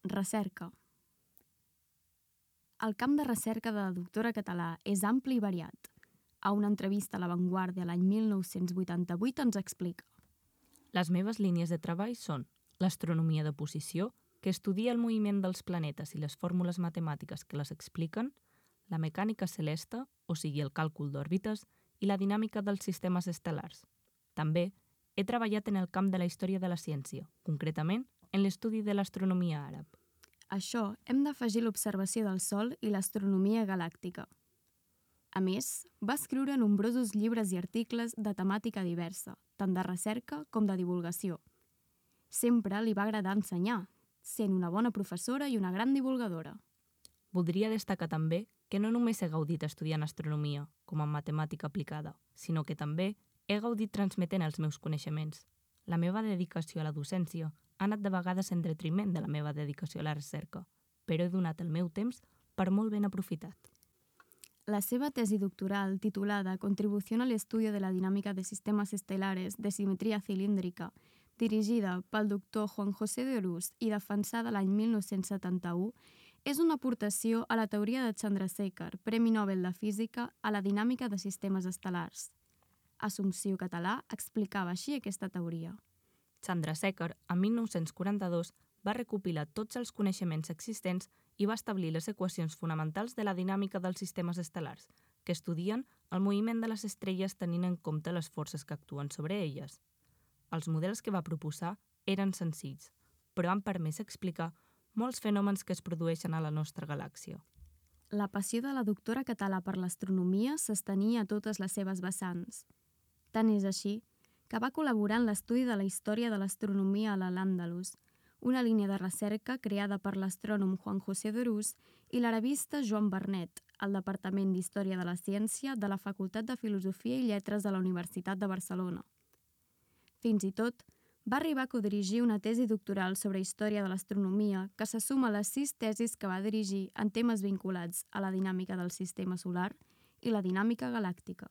Recerca. El camp de recerca de la doctora Català és ampli i variat. A una entrevista a La Vanguardia l'any 1988 ens explica. Les meves línies de treball són l'astronomia de posició, que estudia el moviment dels planetes i les fórmules matemàtiques que les expliquen, la mecànica celeste, o sigui el càlcul d'òrbites, i la dinàmica dels sistemes estel·lars. També he treballat en el camp de la història de la ciència, concretament en l'estudi de l'astronomia àrab. A això hem d'afegir l'observació del Sol i l'astronomia galàctica. A més, va escriure nombrosos llibres i articles de temàtica diversa, tant de recerca com de divulgació. Sempre li va agradar ensenyar, sent una bona professora i una gran divulgadora. Voldria destacar també que no només he gaudit estudiant astronomia, com en matemàtica aplicada, sinó que també he gaudit transmetent els meus coneixements. La meva dedicació a la docència ha anat de vegades en detriment de la meva dedicació a la recerca, però he donat el meu temps per molt ben aprofitat. La seva tesi doctoral, titulada Contribución al estudio de la dinámica de sistemas estelares de simetría cilíndrica, dirigida pel doctor Juan José de Orús i defensada l'any 1971, és una aportació a la teoria de Chandrasekhar, Premi Nobel de Física, a la dinàmica de sistemes estel·lars. Assumpció Català explicava així aquesta teoria. Chandrasekhar, en 1942, va recopilar tots els coneixements existents i va establir les equacions fonamentals de la dinàmica dels sistemes estel·lars, que estudien el moviment de les estrelles tenint en compte les forces que actuen sobre elles. Els models que va proposar eren senzills, però han permès explicar molts fenòmens que es produeixen a la nostra galàxia. La passió de la doctora Català per l'astronomia s'estenia a totes les seves vessants. Tant és així que va col·laborar en l'estudi de la història de l'astronomia a l'Al-Àndalus, una línia de recerca creada per l'astrònom Juan José de Orús i l'arabista Joan Vernet, al Departament d'Història de la Ciència de la Facultat de Filosofia i Lletres de la Universitat de Barcelona. Fins i tot, va arribar a codirigir una tesi doctoral sobre història de l'astronomia que se suma a les 6 tesis que va dirigir en temes vinculats a la dinàmica del sistema solar i la dinàmica galàctica.